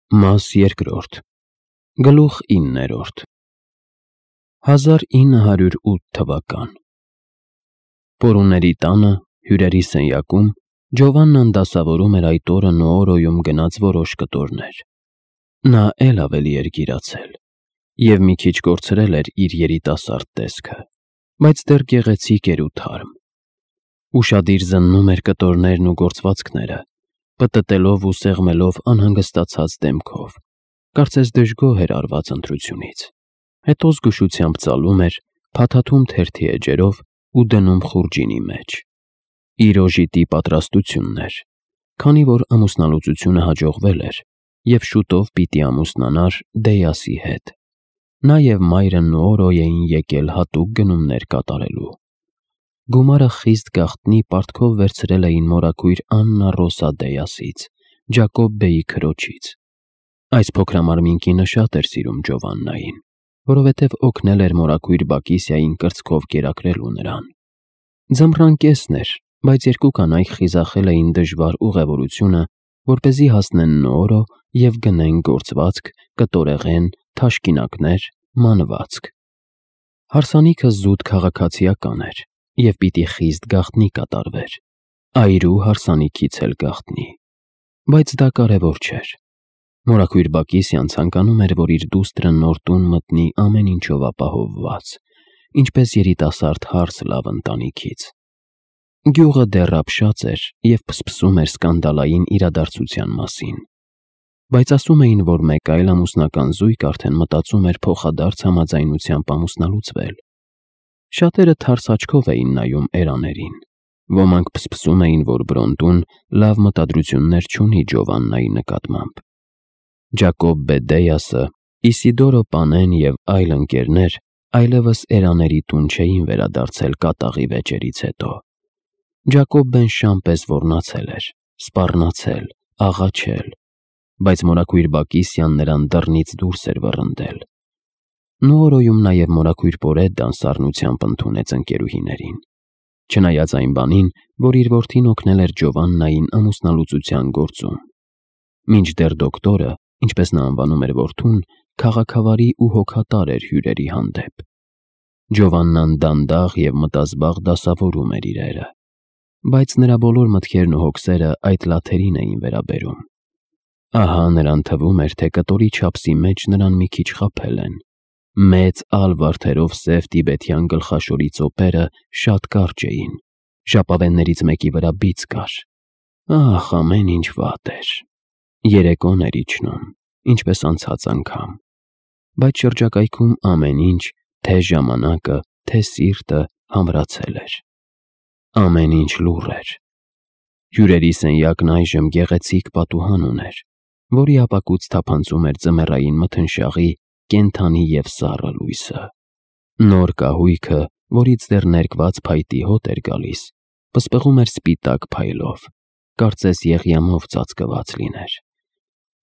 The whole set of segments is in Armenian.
Մաս երկրորդ Գլուխ 9-րդ 1908 թվական Պորուների տանը, հյուրերի սենյակում, Ջովաննան դասավորում էր այդ օրը Նուորոյում գնած որոշ կտորներ։ Նա էլ ավելի էր գիրացել և մի քիչ կորցրել էր իր երիտասարդ տեսքը, բայց դեռ գեղեցիկ էր ու թարմ։ Ուշադիր զննում էր կտորներն ու գործվածքները, պտտելով ու սեղմելով անհանգստացած դեմքով, կարծես դժգոհ էր արված ընտրությունից, հետո զգուշությամբ ծալում էր, փաթաթում թերթի էջերով ու դնում խուրջինի մեջ։ Իր օժիտի պատրաստությունն էր, քանի որ ամուսնալուծությունը հաջողվել էր և շուտով պիտի ամուսնանար Դեյասի հետ։ Նա և մայրը Նուորոյ էին եկել հատուկ գնումներ կատարելու։ Գումարը խիստ գաղտնի պարտքով վերցրել էին մորաքույր Աննա Ռոսա Դեյասից, Ջակոբ բեի քրոջից։ Այս փոքրամարմին կինը շատ էր սիրում Ջովաննային, որովհետև օգնել էր մորաքույր Բակիսիային կրծքով կերակրելու նրան։ Ձմռան կեսն էր, բայց երկու կանայք խիզախել էին դժվար ուղևորությունը, որպեսզի հասնեն Նուորո և գնեն գործվածք, կտորեղեն, թաշկինակներ, մանվածք։ Հարսանիքը զուտ քաղաքացիական էր և պիտի խիստ գաղտնի կատարվեր, այրու հարսանիքից էլ գաղտնի, բայց դա կարևոր չէր։ Մորաքույր Բակիսիան ցանկանում էր, որ իր դուստրը նոր տուն մտնի ամեն ինչով ապահովված, ինչպես երիտասարդ հարս լավ ընտանիքից։ Գյուղը դեռ ապշած էր և փսփսում էր սկանդալային իրադարձության մասին, բայց ասում էին, որ մեկ այլ ամուսնական զույգ արդեն մտածում էր փոխադարձ համաձայնությամբ ամուսնալուծվել։ Շատերը թարս աչքով էին նայում էրաներին, ոմանք փսփսում էին, որ Բրոնտուն լավ մտադրություններ չունի Ջովաննայի նկատմամբ։ Ջակոբ բե Դեյասը, Իսիդորո պանեն և այլ ընկերներ այլևս էրաների տուն չէին վերադարձել կատաղի վեճերից հետո։ Ջակոբ բեն Շամպես ոռնացել էր, սպառնացել, աղաչել, բայց մորաքույր Բակիսիան նրան դռնից դուրս էր վռնդել։ Նուորոյում նաև մորաքույր Պորեդդան սառնությամբ ընդունեց ընկերուհիներին, չնայած այն բանին, որ իր որդին օգնել էր Ջովաննային ամուսնալուծության գործում։ Մինչդեռ դոկտորը, ինչպես նա անվանում էր որդուն, քաղաքավարի ու հոգատար էր հյուրերի հանդեպ։ Ջովաննան դանդաղ և մտազբաղ դասավորում էր իրերը, բայց նրա բոլոր մտքերն ու հոգսերը այդ լաթերին էին վերաբերում։ Ահա նրան թվում էր, թե կտորի չափսի մեջ նրան մի քիչ խաբել են։ Մեծ ալ վարդերով սև տիբեթյան գլխաշորի ծոպերը շատ կարճ էին, ժապավեններից մեկի վրա բիծ կար։ Ահ, ամեն ինչ վատ էր։ Երեկոն էր իջնում, ինչպես անցած անգամ, բայց շրջակայքում ամեն ինչ, թե ժամանակը, թե սիրտը համրացել էր։ Ամեն ինչ լուռ էր։ Հյուրերի սենյակն այժմ գեղեցիկ պատուհան ուներ, որի ապակուց թափանցում էր ձմեռային մթնշաղի կենդանի և սառը լույսը։ Նոր կահույքը, որից դեռ ներկված փայտի հոտ էր գալիս, պսպղում էր սպիտակ փայլով, կարծես եղյամով ծածկված լիներ։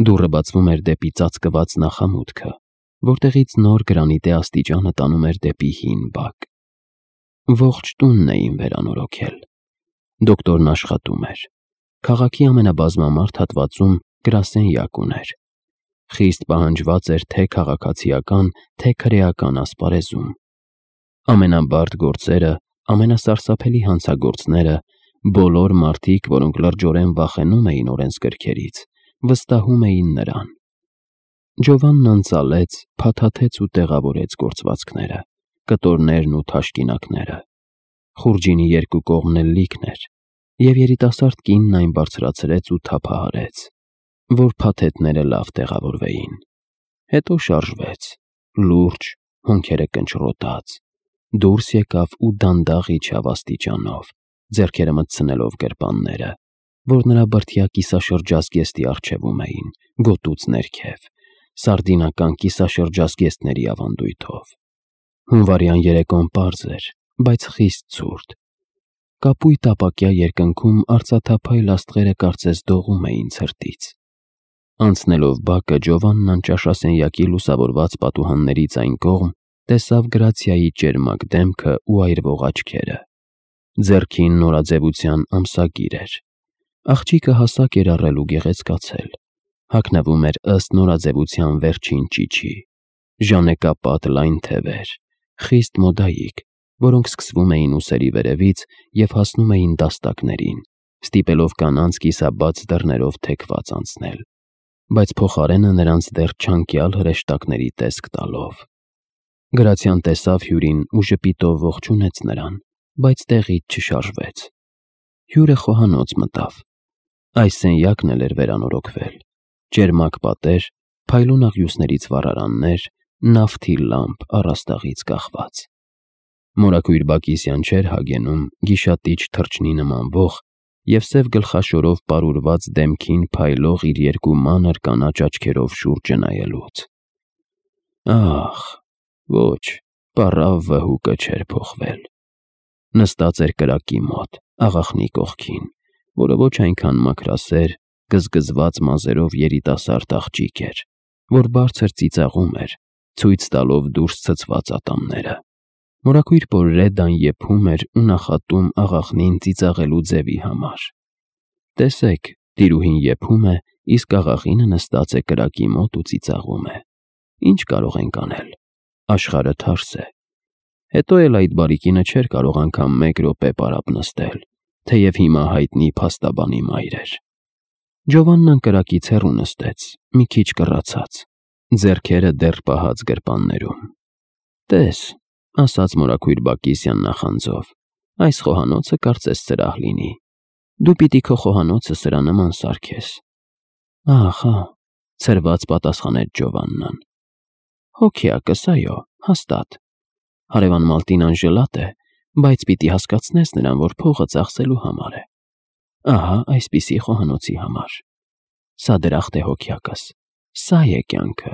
Դուռը բացվում էր դեպի ծածկված նախամուտքը, որտեղից նոր գրանիտե աստիճանը տանում էր դեպի հին բակ։ Ողջ տունն էին վերանորոգել։ Դոկտորն աշխատում էր։ Քաղաքի ամենաբազմամարդ հատվածում գրասենյակ ուներ։ Խիստ պահանջված էր թե քաղաքացիական, թե քրեական ասպարեզում։ Ամենաբարդ գործերը, ամենասարսափելի հանցագործները, բոլոր մարդիկ, որոնք լրջորեն վախենում էին օրենսգրքերից, վստահում էին նրան։ Ջովաննան ծալեց, փաթաթեց ու տեղավորեց գործվածքները, կտորներն ու թաշկինակները։ Խուրջինի երկու կողմն էլ լիքն էր, և երիտասարդ կինն այն բարձրացրեց ու թափահարեց, որ փաթեթները լավ տեղավորվեին։ Հետո շարժվեց, լուրջ, հոնքերը կնճռոտած, դուրս եկավ ու դանդաղ իջավ աստիճանով, ձեռքերը մտցնելով գրպանները, որ նրա բրդյա կիսաշրջազգեստի առջևում էին, գոտուց ներքև, սարդինական կիսաշրջազգեստների ավանդույթով։ Հունվարյան երեկոն պարզ էր, բայց խիստ ցուրտ։ Կապույտ ապակյա երկնքում արծաթափայլ աստղերը կարծես դողում էին ցրտից։ Անցնելով բակը, Ջովաննան ճաշասենյակի լուսավորված պատուհաններից այն կողմ տեսավ Գրացիայի ճերմակ դեմքը ու այրվող աչքերը։ Ձեռքին նորաձևության ամսագիր էր։ Աղջիկը հասակ էր առել ու գեղեցկացել, հագնվում էր ըստ նորաձևության վերջին ճիչի, ժանեկապատ լայն թևեր, խիստ մոդայիկ, որոնք սկսվում էին ուսերի վերևից և հասնում էին դաստակներին, ստիպելով կանանց կիսաբաց դռներով թեքված անցնել, բայց փոխարենը նրանց դեռ չանկյալ հրեշտակների տեսք տալով։ Գրացյան տեսավ հյուրին ու ժպիտով ողջունեց նրան, բայց տեղից չշարժվեց։ Հյուրը խոհանոց մտավ։ Այս սենյակն էլ էր վերանորոգվել։ Ճերմակ պատեր, փայլուն աղյուսներից վառարաններ, նավթի լամպ առաստաղից կախված։ Մորաքույր Բակիսյան չէր հագենում գիշատիչ թռչնի նմանվող և սև գլխաշորով պարուրված դեմքին փայլող իր երկու մանր կանաչ աչքերով շուրջը նայելուց։ Ախ, ոչ, պառավ վհուկը չէր փոխվել։ Նստած էր կրակի մոտ, աղախնի կողքին, որը ոչ այնքան մաքրասեր, գզգզված մազերով երիտասարդ աղջիկ էր, որ բարձր ծիծաղում էր, ցույց տալով դուրս ցցված ատամները։ Մորաքույր Պորրեդան եփում էր ու նախատում աղախնին ծիծաղելու ձևի համար։ Տեսեք, տիրուհին եփում է, իսկ աղախինը նստած է կրակի մոտ ու ծիծաղում է։ Ինչ կարող ենք անել։ Աշխարհը թարս է։ Հետո էլ այդ բարիկինը չէր կարող անգամ 1 րոպե պարապ նստել, թեև հիմա հայտնի փաստաբանի մայր էր։ Ջովաննան կրակից հեռու նստեց, մի քիչ կռացած, ձեռքերը դեռ պահած գրպաններում։ Տես, ասաց Մորաքույր Բակիսյան նախանձով, այս խոհանոցը կարծես սրահ լինի։ Դու պիտի քո խոհանոցը սրա նման սարքես։ Ահա, ցրված պատասխանեց Ջովաննան։ Հոգիակս, այո, հաստատ։ Հարևան Մալտինան ժլատ է, բայց պիտի հասկացնես նրան, որ փողը ծախսելու համար է։ Ահա այսպիսի խոհանոցի համար։ Սա դրախտ է հոգիակս, սա է կյանքը։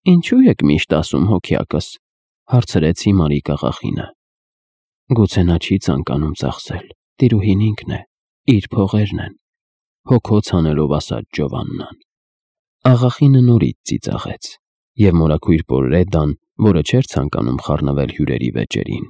Ինչու եք միշտ ասում հոգիակս, հարցրեց Հիմարիկ աղախինը։ Գուցե նա չի ցանկանում ծախսել, տիրուհին ինքն է, իր փողերն են, հոգոց հանելով ասաց Ջովաննան։ Աղախինը նորից ծիծաղեց, և Մորաքույր Պորրեդան, որը չէր ցանկանում խառնվել հյուրերի վեճերին,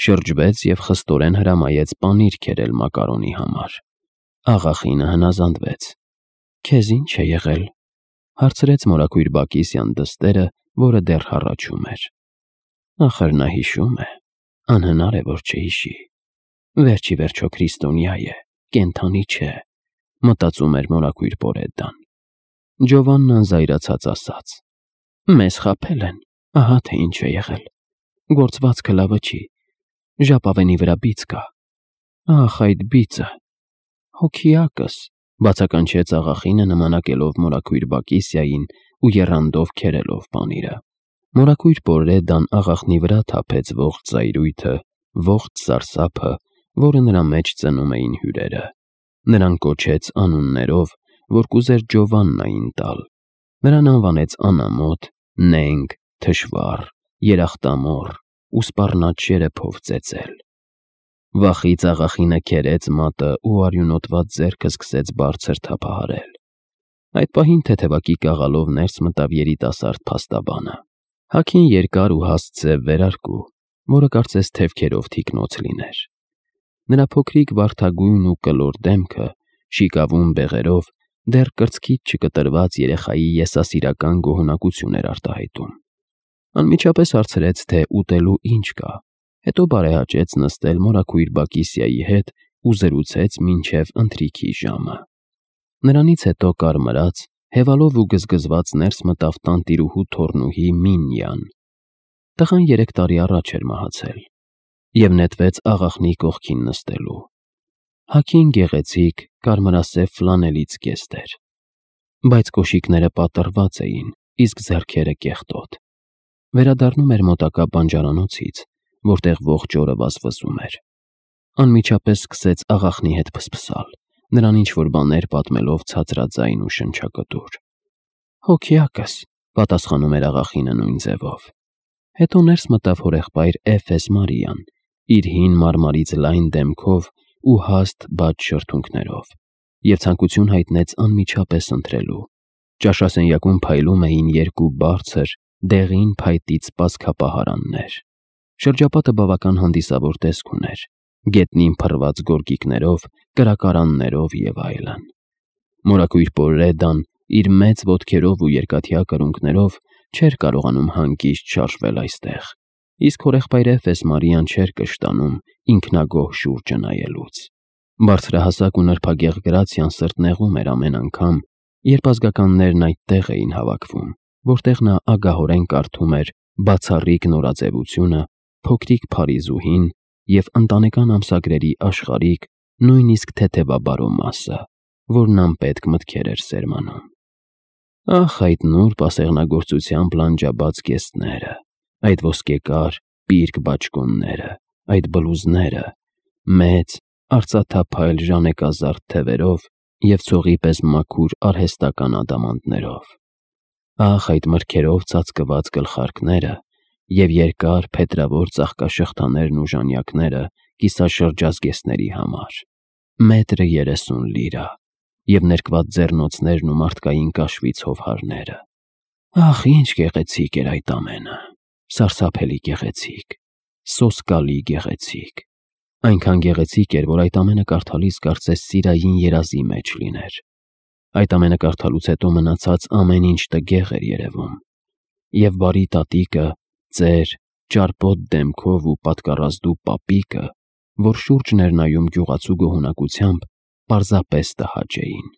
շրջվեց և խստորեն հրամայեց պանիր քերել մակարոնի համար։ Աղախինը հնազանդվեց։ Քեզ ինչ է եղել, հարցրեց Մորաքույր Բակիսյան դստերը, որը դեռ հառաչում էր։ Ախր նա հիշում է, անհնար է, որ չհիշի։ Վերջի վերջո քրիստոնյա է, կենդանի չէ, մտածում էր Մորաքույր Պորրեդան։ Ջովաննան զայրացած ասաց. Մեզ խաբել են, ահա թե ինչ է եղել։ Գործվածքը լավը չի, ժապավենի վրա բիծ կա։ Ախ, այդ բիծը։ Հոգիակս, բացականչեց աղախինը նմանակելով Մորաքույր Բակիսյային ու եռանդով քերելով պանիրը։ Մորաքույր Պորրեդան աղախնի վրա թափեց ողջ զայրույթը, ողջ սարսափը, որը նրա մեջ ծնում էին հյուրերը։ Նրան կոչեց անուններով, որ կուզեր Ջովաննային տալ։ Նրան անվանեց անամոթ, նենգ, թշվառ, երախտամոռ ու սպառնատ շերեփով ծեծել։ Վախից աղախինը քերեց մատը ու արյունոտված ձեռքը սկսեց բարձր թափահարել։ Այդ պահին թեթևակի կաղալով ներս մտավ երիտասարդ փաստաբանը։ Հագին երկար ու հաստ սև վերարկու, որը կարծես թևքերով թիկնոց լիներ։ Նրա փոքրիկ վարդագույն ու կլոր դեմքը, շիկավուն բեղերով, դեռ կրծքից չկտրված երեխայի եսասիրական գոհունակություն էր արտահայտում։ Անմիջապես հարցրեց, թե ուտելու ինչ կա, հետո բարեհաճեց նստել Մորաքույր Բակիսյայի հետ ու զրուցեց մինչև ընթրիքի ժամը։ Նրանից հետո կարմրած, հևալով ու գզգզված ներս մտավ տանտիրուհու թոռնուհի Մինյան։ Տղան 3 տարի առաջ էր մահացել և նետվեց աղախնի կողքին նստելու։ Հագին գեղեցիկ, կարմրասև ֆլանելից կեստ էր, բայց կոշիկները պատռված էին, իսկ ձեռքերը կեղտոտ։ Վերադառնում էր մոտակա բանջարանոցից, որտեղ ողջ օրը վազվզում էր։ Անմիջապես սկսեց աղախնի հետ փսփսալ, նրան ինչ-որ բաներ պատմելով ցածրաձայն ու շնչակտուր։ Հոգիակս, պատասխանում էր աղախինը նույն ձևով։ Հետո ներս մտավ հորեղբայր Էֆես Մարիան, իր հին մարմարից լայն դեմքով ու հաստ բաց շրթունքներով, և ցանկություն հայտնեց անմիջապես ընթրելու։ Ճաշասենյակում փայլում էին 2 բարձր, դեղին փայտից սպասքապահարաններ։ Շրջապատը բավական հանդիսավոր տեսք ուներ, գետնին փռված գորգիկներով, կրակարաններով և այլն։ Մորաքույր Պորրեդան իր մեծ ոտքերով ու երկաթյա կրունկներով չէր կարողանում հանգիստ շարժվել այստեղ, իսկ հորեղբայր Էֆես Մարիան չէր կշտանում ինքնագոհ շուրջը նայելուց։ Բարձրահասակ ու նրբագեղ Գրացիան սրտնեղում էր ամեն անգամ, երբ ազգականներն այդտեղ էին հավաքվում, որտեղ նա ագահորեն կարդում էր բացառիկ նորաձևությունը, փոքրիկ Փարիզուհին և ընտանեկան ամսագրերի աշխարհիկ, նույնիսկ թեթևաբարո մասը, որն անպետք մտքեր էր սերմանում։ Ահ, այդ նուրբ ասեղնագործությամբ լանջաբաց կեսները, այդ ոսկեկար, պիրկ բաճկոնները, այդ բլուզները, մեծ, արծաթափայլ ժանեկազարդ թևերով և ցողի պես մաքուր արհեստական ադամանդներով։ Ահ, այդ մրգերով ծածկված գլխարկները և երկար փետրավոր ծաղկաշղթաներն ու ժանյակները կիսաշրջազգեստների համար, 1.30 լիրա, և ներկված ձեռնոցներն ու մարդկային կաշվի ցովհարները։ Ահ, ինչ գեղեցիկ էր այդ ամենը, սարսափելի գեղեցիկ, սոսկալի գեղեցիկ, այնքան գեղեցիկ էր, որ այդ ամենը կարդալիս կարծես սիրային երազի մեջ լիներ։ Այդ ամենը կարդալուց հետո մնացած ամեն ինչ տգեղ էր երևում, և բարի տատիկը, ծեր, ճարպոտ դեմքով ու պատկառազդու պապիկը, որ շուրջն էր նայում գյուղացու գոհունակությամբ, պարզապես տհաճ էին։